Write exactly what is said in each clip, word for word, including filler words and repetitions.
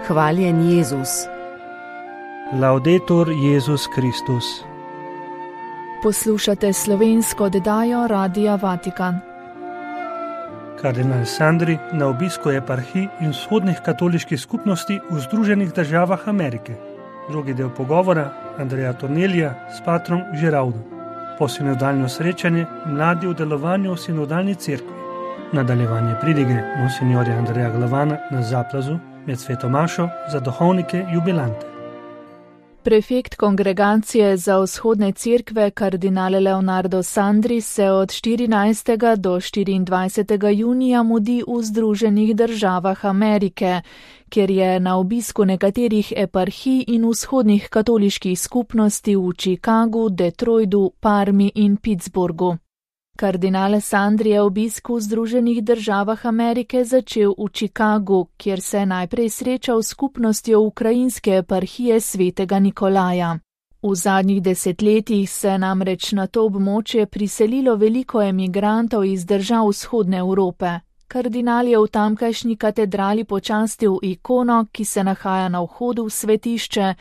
Hvaljen Jezus. Laudetur Jezus Kristus. Poslušate slovensko oddajo Radia Vatikan. Kardinal Sandri na obisku eparhij in vzhodnih katoliških skupnosti v Združenih državah Amerike. Drugi del pogovora Andreja Tornelija s patrom Žeraudom. Posinodalno srečanje mladi v delovanju v sinodalni cerkvi. Nadaljevanje pridige monsinjorja Andreja Glavana na Zaplazu med Sveto mašo za duhovnike jubilante. Prefekt Kongregacije za vzhodne cerkve kardinal Leonardo Sandri se od štirinajstega do štiriindvajsetega junija mudi v Združenih državah Amerike, kjer je na obisku nekaterih eparhij in vzhodnih katoliških skupnosti v Chicagu, Detroitu, Parmi in Pittsburghu. Kardinal Sandri je obisk v Združenih državah Amerike začel v Chicagu, kjer se je najprej srečal s skupnostjo ukrajinske eparhije svetega Nikolaja. V zadnjih desetletjih se je namreč na to območje priselilo veliko emigrantov iz držav vzhodne Evrope. Kardinal je v tamkajšnji katedrali počastil ikono, ki se nahaja na vhodu v svetišče,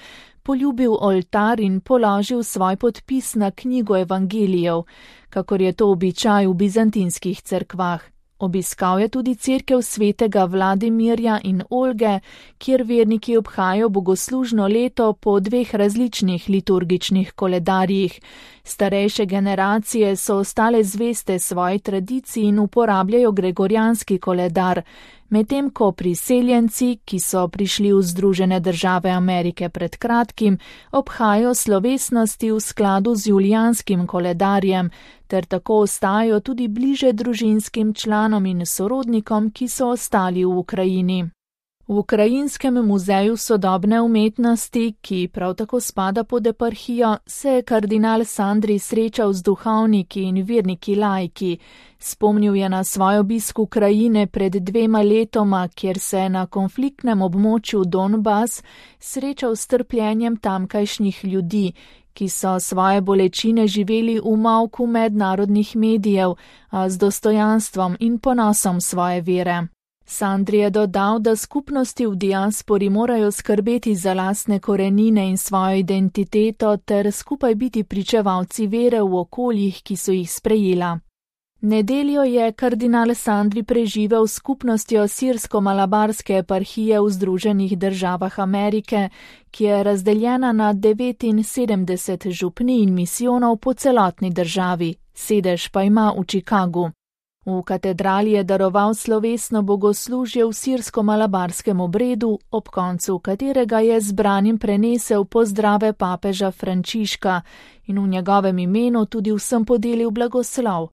poljubil oltar in položil svoj podpis na knjigo evangelijev, kakor je to običaj v bizantinskih cerkvah. Obiskal je tudi cerkev svetega Vladimirja in Olge, kjer verniki obhajajo bogoslužno leto po dveh različnih liturgičnih koledarjih. Starejše generacije so ostale zveste svoji tradiciji in uporabljajo gregorijanski koledar, medtem ko priseljenci, ki so prišli v Združene države Amerike pred kratkim, obhajajo slovesnosti v skladu z julijanskim koledarjem, ter tako ostajajo tudi bliže družinskim članom in sorodnikom, ki so ostali v Ukrajini. V Ukrajinskem muzeju sodobne umetnosti, ki prav tako spada pod eparhijo, se je kardinal Sandri srečal z duhovniki in verniki laiki. Spomnil je na svoj obisk Ukrajine pred dvema letoma, kjer se je na konfliktnem območju Donbas srečal s trpljenjem tamkajšnjih ljudi, ki so svoje bolečine živeli v molku mednarodnih medijev, a z dostojanstvom in ponosom svoje vere. Sandri je dodal, da skupnosti v diaspori morajo skrbeti za lastne korenine in svojo identiteto ter skupaj biti pričevalci vere v okoljih, ki so jih sprejela. Nedeljo je kardinal Sandri preživel s skupnostjo sirsko-malabarske eparhije v Združenih državah Amerike, ki je razdeljena na devetinsedemdeset župnij in misijonov po celotni državi, sedež pa ima v Chicagu. V katedrali je daroval slovesno bogoslužje v sirsko-malabarskem obredu, ob koncu katerega je zbranim prenesel pozdrave papeža Frančiška in v njegovem imenu tudi vsem podelil blagoslov.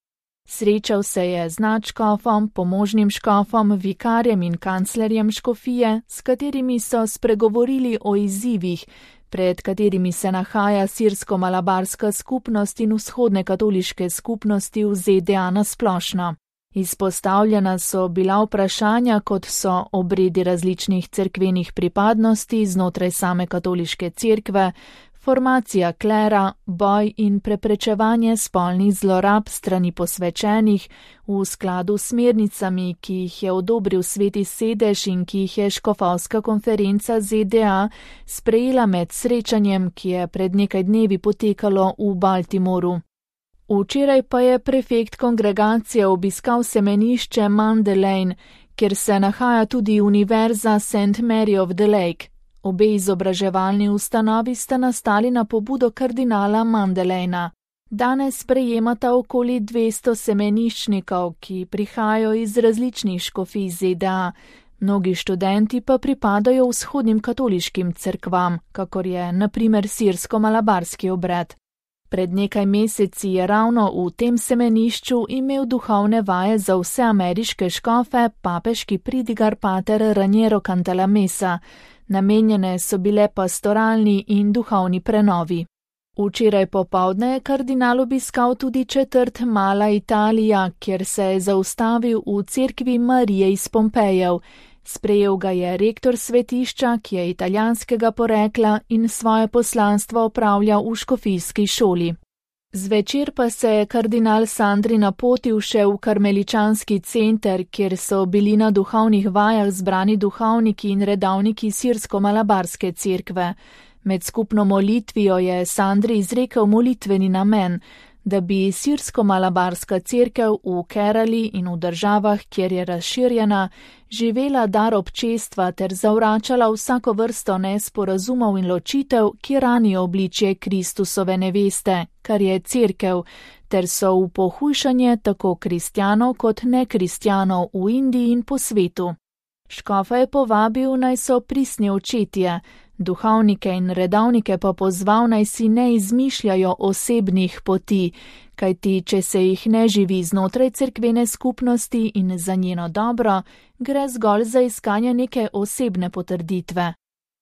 Srečal se je z nadškofom, pomožnim škofom, vikarjem in kanclerjem škofije, s katerimi so spregovorili o izzivih, pred katerimi se nahaja sirsko-malabarska skupnost in vzhodne katoliške skupnosti v Z D A nasplošno. Izpostavljena so bila vprašanja, kot so obredi različnih cerkvenih pripadnosti znotraj same katoliške cerkve, formacija klera, boj in preprečevanje spolnih zlorab strani posvečenih v skladu s smernicami, ki jih je odobril Sveti sedež in ki jih je škofovska konferenca Z D A sprejela med srečanjem, ki je pred nekaj dnevi potekalo v Baltimoru. Včeraj pa je prefekt kongregacije obiskal semenišče Mandalane, kjer se nahaja tudi Univerza Saint Mary of the Lake. Obe izobraževalni ustanovi sta nastali na pobudo kardinala Mandalana. Danes sprejemata okoli dvesto semeniščnikov, ki prihajajo iz različnih škofij Z D A. Mnogi študenti pa pripadajo vzhodnim katoliškim cerkvam, kakor je na primer sirsko-malabarski obred. Pred nekaj meseci je ravno v tem semenišču imel duhovne vaje za vse ameriške škofe papeški pridigar pater Raniero Cantalamessa. Namenjene so bile pastoralni in duhovni prenovi. Včeraj popoldne je kardinal obiskal tudi četrt Mala Italija, kjer se je zaustavil v cerkvi Marije iz Pompejev. Sprejel ga je rektor svetišča, ki je italijanskega porekla in svoje poslanstvo opravlja v škofijski šoli. Zvečer pa se je kardinal Sandri napotil še v karmeličanski center, kjer so bili na duhovnih vajah zbrani duhovniki in redavniki sirsko-malabarske cerkve. Med skupno molitvijo je Sandri izrekel molitveni namen, da bi sirsko-malabarska cerkev v Kerali in v državah, kjer je razširjena, živela dar občestva ter zavračala vsako vrsto nesporazumov in ločitev, ki ranijo obličje Kristusove neveste, kar je cerkev, ter so v pohujšanje tako kristjanov kot nekristjanov v Indiji in po svetu. Škofa je povabil, naj so pristni očetje, duhovnike in redavnike pa pozval, naj si ne izmišljajo osebnih poti, kajti če se jih ne živi znotraj cerkvene skupnosti in za njeno dobro, gre zgolj za iskanje neke osebne potrditve.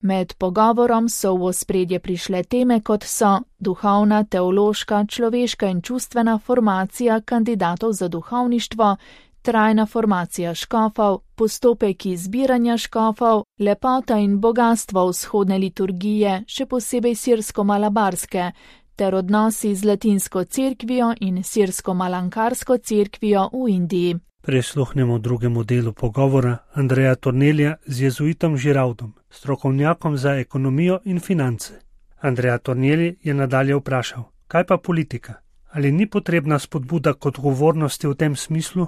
Med pogovorom so v ospredje prišle teme, kot so duhovna, teološka, človeška in čustvena formacija kandidatov za duhovništvo, trajna formacija škofov, postopek izbiranja škofov, lepota in bogatstvo vzhodne liturgije, še posebej sirsko-malabarske, ter odnosi z latinsko cerkvijo in sirsko-malankarsko cerkvijo v Indiji. Prisluhnemo drugemu delu pogovora Andreja Tornelija z jezuitom Žiraudom, strokovnjakom za ekonomijo in finance. Andreja Tornelij je nadalje vprašal, kaj pa politika? Ali ni potrebna spodbuda k odgovornosti v tem smislu?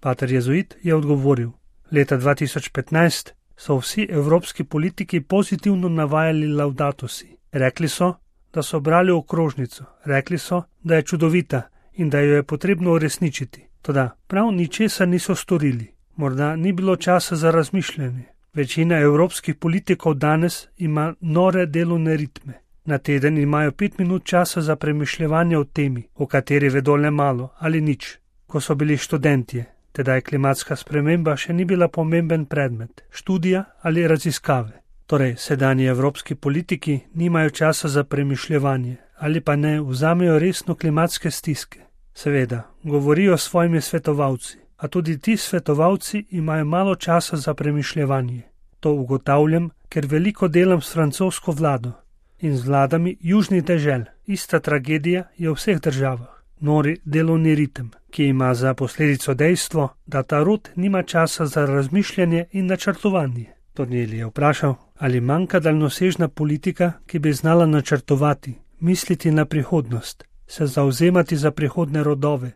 Pater jezuit je odgovoril, leta dva tisoč petnajst so vsi evropski politiki pozitivno navajali Laudato si. Rekli so, da so brali okrožnico, rekli so, da je čudovita in da jo je potrebno uresničiti. Toda prav ničesar niso storili. Morda ni bilo časa za razmišljanje. Večina evropskih politikov danes ima nore delovne ritme. Na teden imajo pet minut časa za premišljevanje o temi, o kateri vedo le malo ali nič. Ko so bili študentje, tedaj klimatska sprememba še ni bila pomemben predmet, študija ali raziskave. Torej, sedanji evropski politiki nimajo časa za premišljevanje ali pa ne vzamejo resno klimatske stiske. Seveda, govorijo s svojimi svetovalci, a tudi ti svetovalci imajo malo časa za premišljevanje. To ugotavljam, ker veliko delam s francosko vlado in z vladami južnih dežel. Ista tragedija je v vseh državah. Nori delovni ritem, ki ima za posledico dejstvo, da ta rod nima časa za razmišljanje in načrtovanje. Tornelij je vprašal, ali manjka daljnosežna politika, ki bi znala načrtovati, misliti na prihodnost, se zauzemati za prihodne rodove,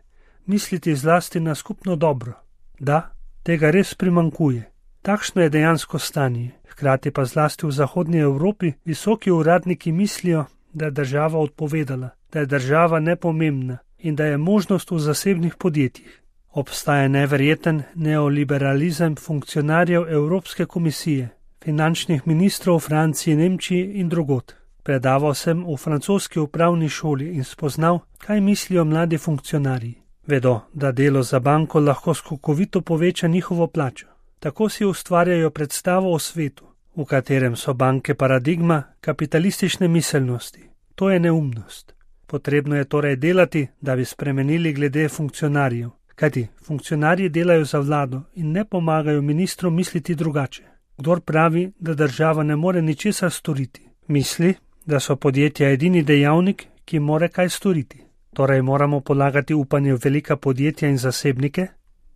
misliti zlasti na skupno dobro. Da, tega res primanjkuje. Takšno je dejansko stanje. Hkrati pa zlasti v zahodnji Evropi visoki uradniki mislijo, da je država odpovedala, da je država nepomembna in da je možnost v zasebnih podjetjih. Obstaja neverjeten neoliberalizem funkcionarjev Evropske komisije, finančnih ministrov v Franciji, Nemčiji in drugod. Predaval sem v francoski upravni šoli in spoznal, kaj mislijo mladi funkcionarji. Vedo, da delo za banko lahko skokovito poveča njihovo plačo. Tako si ustvarjajo predstavo o svetu, v katerem so banke paradigma kapitalistične miselnosti. To je neumnost. Potrebno je torej delati, da bi spremenili glede funkcionarjev, kajti funkcionarji delajo za vlado in ne pomagajo ministrom misliti drugače. Kdor pravi, da država ne more ničesar storiti, misli, da so podjetja edini dejavnik, ki more kaj storiti. Torej moramo polagati upanje v velika podjetja in zasebnike?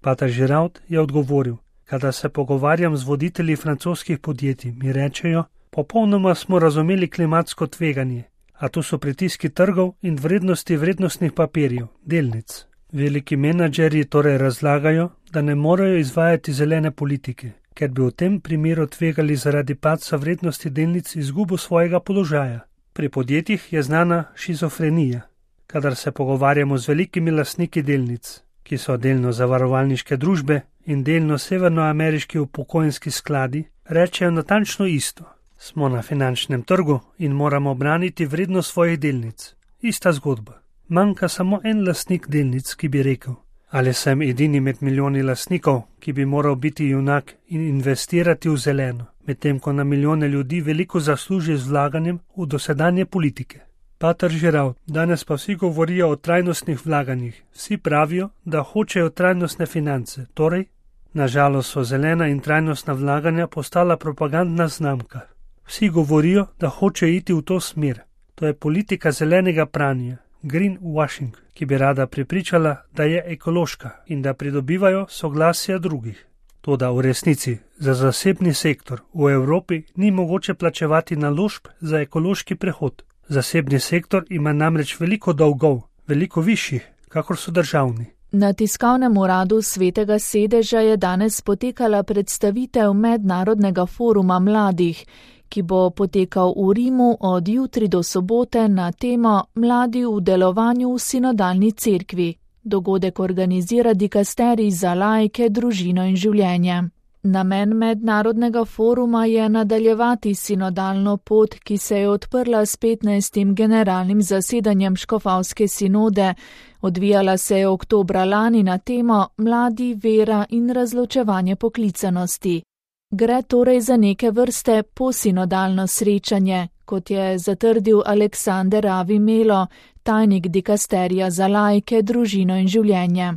Pater Žiraud je odgovoril, kada se pogovarjam z voditelji francoskih podjetij, mi rečejo, popolnoma smo razumeli klimatsko tveganje, a tu so pritiski trgov in vrednosti vrednostnih papirjev, delnic. Veliki menadžerji torej razlagajo, da ne morejo izvajati zelene politike, ker bi v tem primeru tvegali zaradi padca vrednosti delnic izgubo svojega položaja. Pri podjetjih je znana šizofrenija, kadar se pogovarjamo z velikimi lastniki delnic, ki so delno zavarovalniške družbe in delno severnoameriški upokojenski skladi, rečejo natančno isto. Smo na finančnem trgu in moramo braniti vrednost svojih delnic. Ista zgodba. Manjka samo en lastnik delnic, ki bi rekel, ali sem edini med milijoni lastnikov, ki bi moral biti junak in investirati v zeleno, medtem ko na milijone ljudi veliko zasluži z vlaganjem v dosedanje politike. Pater Žiraud, danes pa vsi govorijo o trajnostnih vlaganjih. Vsi pravijo, da hočejo trajnostne finance, torej, nažalost so zelena in trajnostna vlaganja postala propagandna znamka. Vsi govorijo, da hočejo iti v to smer. To je politika zelenega pranja. greenwashing, ki bi rada prepričala, da je ekološka in da pridobivajo soglasja drugih. Toda v resnici za zasebni sektor v Evropi ni mogoče plačevati naložb za ekološki prehod. Zasebni sektor ima namreč veliko dolgov, veliko višjih, kakor so državni. Na tiskovnem uradu Svetega sedeža je danes potekala predstavitev Mednarodnega foruma mladih, ki bo potekal v Rimu od jutri do sobote na temo Mladi v delovanju v sinodalni cerkvi. Dogodek organizira dikasterij za laike, družino in življenje. Namen mednarodnega foruma je nadaljevati sinodalno pot, ki se je odprla s petnajstim generalnim zasedanjem škofavske sinode, odvijala se je oktobra lani na temo Mladi, vera in razločevanje poklicanosti. Gre torej za neke vrste posinodalno srečanje, kot je zatrdil Aleksander Avi Melo, tajnik dikasterija za laike, družino in življenje.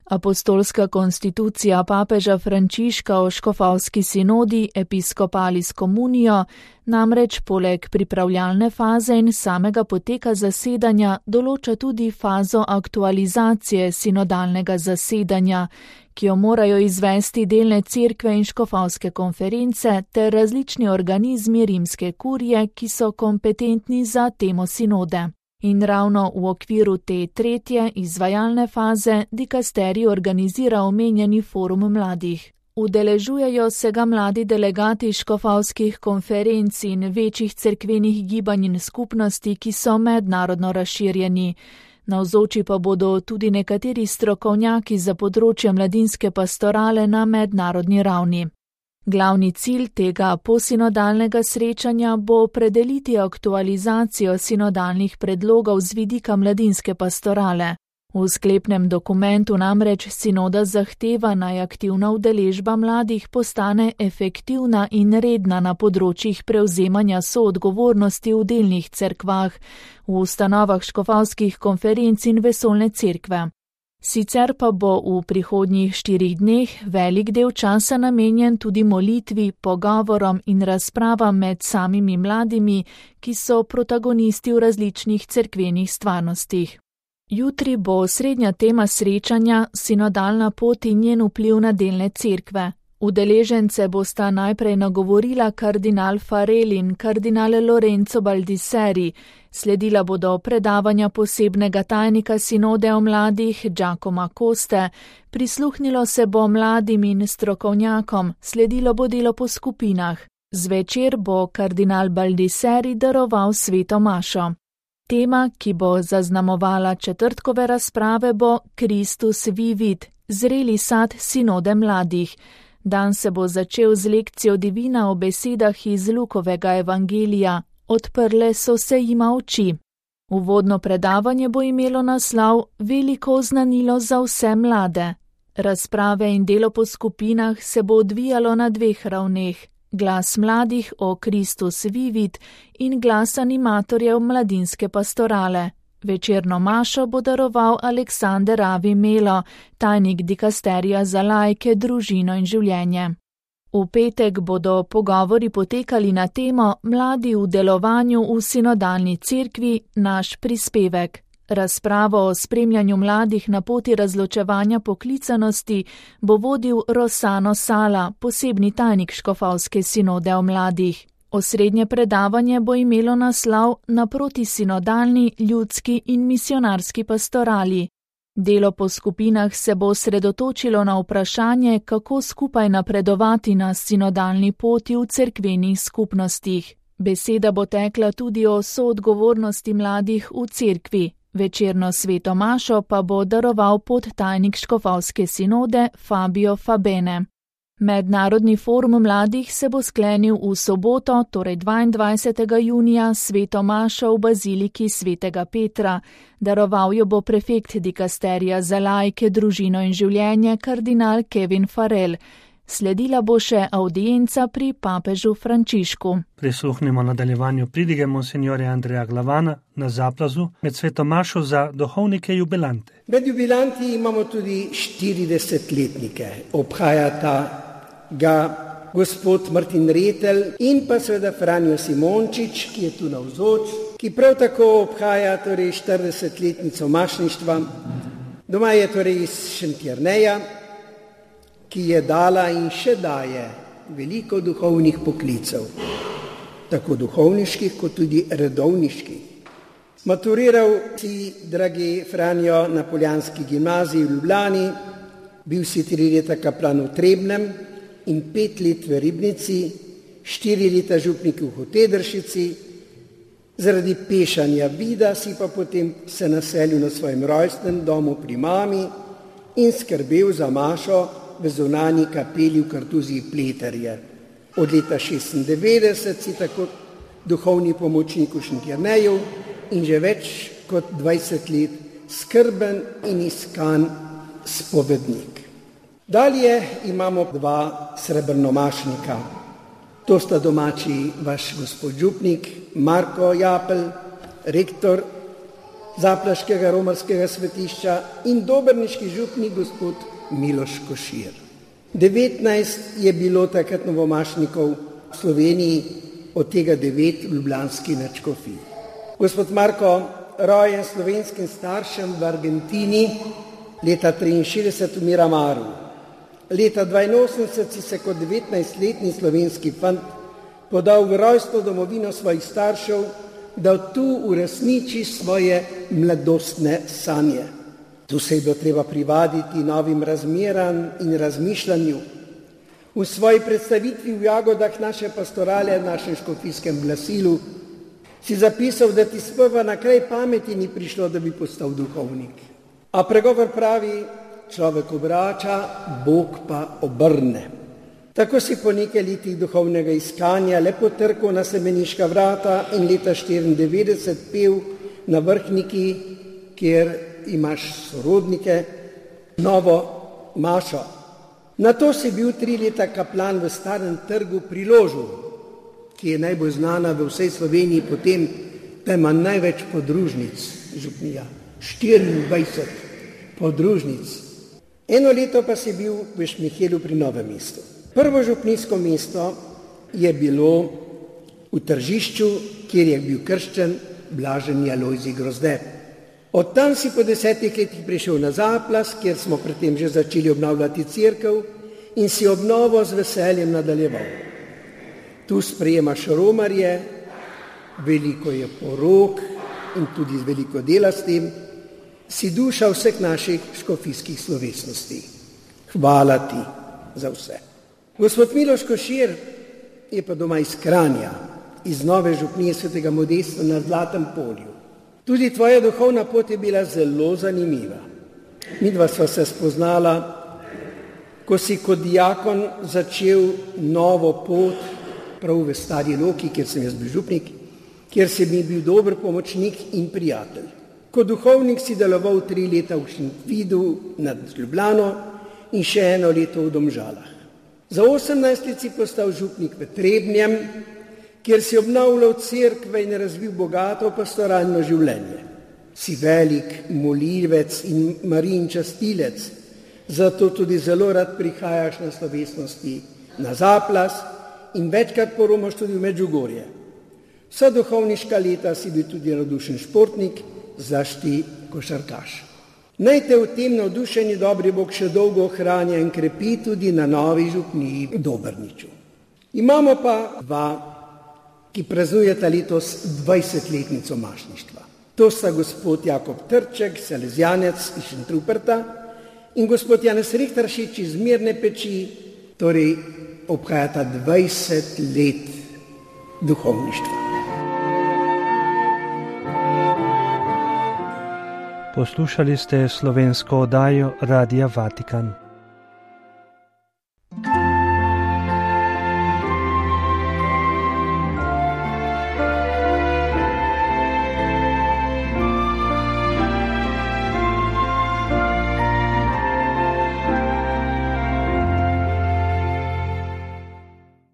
Apostolska konstitucija papeža Frančiška o škofavski sinodi Episcopalis Communio namreč poleg pripravljalne faze in samega poteka zasedanja določa tudi fazo aktualizacije sinodalnega zasedanja, ki jo morajo izvesti delne cerkve in škofavske konference ter različni organizmi rimske kurije, ki so kompetentni za temo sinode. In ravno v okviru te tretje izvajalne faze dikasterij organizira omenjeni forum mladih. Udeležujejo se ga mladi delegati škofavskih konferenc in večjih cerkvenih gibanj in skupnosti, ki so mednarodno razširjeni. Navzoči pa bodo tudi nekateri strokovnjaki za področje mladinske pastorale na mednarodni ravni. Glavni cilj tega posinodalnega srečanja bo opredeliti aktualizacijo sinodalnih predlogov z vidika mladinske pastorale. V sklepnem dokumentu namreč sinoda zahteva, naj aktivna udeležba mladih postane efektivna in redna na področjih prevzemanja soodgovornosti v delnih cerkvah, v ustanovah škofavskih konferenc in vesoljne cerkve. Sicer pa bo v prihodnjih štirih dneh velik del časa namenjen tudi molitvi, pogovorom in razpravam med samimi mladimi, ki so protagonisti v različnih cerkvenih stvarnostih. Jutri bo osrednja tema srečanja sinodalna pot in njen vpliv na delne cerkve. Udeležence bosta najprej nagovorila kardinal Farel in kardinal Lorenzo Baldisseri, sledila bodo predavanja posebnega tajnika sinode o mladih Giacomo Coste, prisluhnilo se bo mladim in strokovnjakom, sledilo bo delo po skupinah. Zvečer bo kardinal Baldisseri daroval sveto mašo. Tema, ki bo zaznamovala četrtkove razprave, bo Christus vivit, zreli sad sinode mladih. Dan se bo začel z lekcijo divina o besedah iz Lukovega evangelija, odprle so se jima oči. Uvodno predavanje bo imelo naslov Veliko oznanilo za vse mlade. Razprave in delo po skupinah se bo odvijalo na dveh ravneh, glas mladih o Christus vivit in glas animatorjev mladinske pastorale. Večerno mašo bo daroval Aleksander Avi Melo, tajnik dikasterija za laike, družino in življenje. V petek bodo pogovori potekali na temo Mladi v delovanju v sinodalni cerkvi, naš prispevek. Razpravo o spremljanju mladih na poti razločevanja poklicanosti bo vodil Rosano Sala, posebni tajnik škofavske sinode o mladih. Osrednje predavanje bo imelo naslov Naproti sinodalni, ljudski in misionarski pastorali. Delo po skupinah se bo sredotočilo na vprašanje, kako skupaj napredovati na sinodalni poti v cerkvenih skupnostih. Beseda bo tekla tudi o soodgovornosti mladih v cerkvi. Večerno sveto mašo pa bo daroval podtajnik škofavske sinode Fabio Fabene. Mednarodni forum mladih se bo sklenil v soboto, torej dvaindvajsetega junija, sveto mašo v baziliki svetega Petra. Daroval jo bo prefekt dikasterija za laike, družino in življenje, kardinal Kevin Farel. Sledila bo še audienca pri papežu Frančišku. Prisluhnimo nadaljevanju pridige monsinjorja Andreja Glavana na Zaplazu med sveto mašo za duhovnike jubilante. Med jubilanti imamo tudi štiridesetletnike. Obhajata ga gospod Martin Retelj in pa seveda Franjo Simončič, ki je tu navzoč, ki prav tako obhaja torej štiridesetletnico mašništva. Doma je torej iz Šentjerneja, ki je dala in še daje veliko duhovnih poklicev, tako duhovniških kot tudi redovniških. Maturiral si, dragi Franjo, na Poljanski gimnaziji v Ljubljani, bil si tri leta kaplan v Trebnjem in pet let v Ribnici, štiri leta župnik v Hotedršici. Zaradi pešanja vida si pa potem se naselil na svojem rojstnem domu pri mami in skrbel za mašo v zunanji kapeli v Kartuziji Pleterje. Od leta šestindevetdeset si tako duhovni pomočnik v Šentjerneju in že več kot dvajset let skrben in iskan spovednik. Dalje imamo dva srebrnomašnika. To sta domači vaš gospod župnik Marko Japelj, rektor zaplaškega romarskega svetišča in dobrniški župnik gospod Miloš Košir. devetnajst je bilo takrat novomašnikov v Sloveniji, od tega devet v ljubljanski nadškofiji. Gospod Marko, rojen slovenskim staršem v Argentini, leta triinšestdeset v Miramaru. Leta dvainosemdeset si se kot devetnajstletni slovenski fant podal v rojstno domovino svojih staršev, da tu uresniči svoje mladostne sanje. Tu se je bilo treba privaditi novim razmeram in razmišljanju. V svoji predstavitvi v Jagodah naše pastorale v našem škofijskem glasilu si zapisal, da ti sprva na kraj pameti ni prišlo, da bi postal duhovnik. A pregovor pravi, človek obrača, Bog pa obrne. Tako si po nekaj letih duhovnega iskanja le potrkal na semeniška vrata in leta štiriindevetdeset pel na Vrhniki, kjer imaš sorodnike, novo mašo. Nato si bil tri leta kaplan v Starem trgu pri Ložu, ki je najbolj znana v vsej Sloveniji, potem da ima največ podružnic župnija, štiriindvajset podružnic. Eno leto pa si bil v Šmihelu pri Novem mestu. Prvo župnijsko mesto je bilo v Tržišču, kjer je bil krščen blaženi Alojzij Grozde. Od tam si po desetih letih prišel na Zaplas, kjer smo predtem že začeli obnavljati cerkev in si obnovo z veseljem nadaljeval. Tu sprejemaš romarje, veliko je porok in tudi veliko dela s tem, si duša vseh naših škofijskih slovesnosti. Hvala ti za vse. Gospod Miloš Košir je pa doma iz Kranja, iz nove župnije svetega Modesta na Zlatem polju. Tudi tvoja duhovna pot je bila zelo zanimiva. Midva sva se spoznala, ko si kot diakon začel novo pot prav v Stari Loki, kjer sem jaz bil župnik, kjer si mi bil dober pomočnik in prijatelj. Kot duhovnik si deloval tri leta v Šentvidu nad Ljubljano in še eno leto v Domžalah. Za osemnajst let si postal župnik v Trebnjem, kjer si obnavljal cerkve in razvil bogato pastoralno življenje. Si velik molivec in Marijin častilec, zato tudi zelo rad prihajaš na slovesnosti na Zaplas in večkrat poromaš tudi v Medžugorje. Vsa duhovniška leta si bil tudi navdušen športnik, zlasti košarkaš. Naj te v tem navdušeni dobri Bog še dolgo ohranja in krepi tudi na novi župniji v Dobrniču. Imamo pa dva, ki praznujeta letos dvajsetletnico mašništva. To sta gospod Jakob Trček, salezjanec iz Šentruperta, in gospod Janez Rihteršič iz Mirne Peči, torej obhajata dvajset let duhovništva. Poslušali ste slovensko oddajo Radia Vatikan.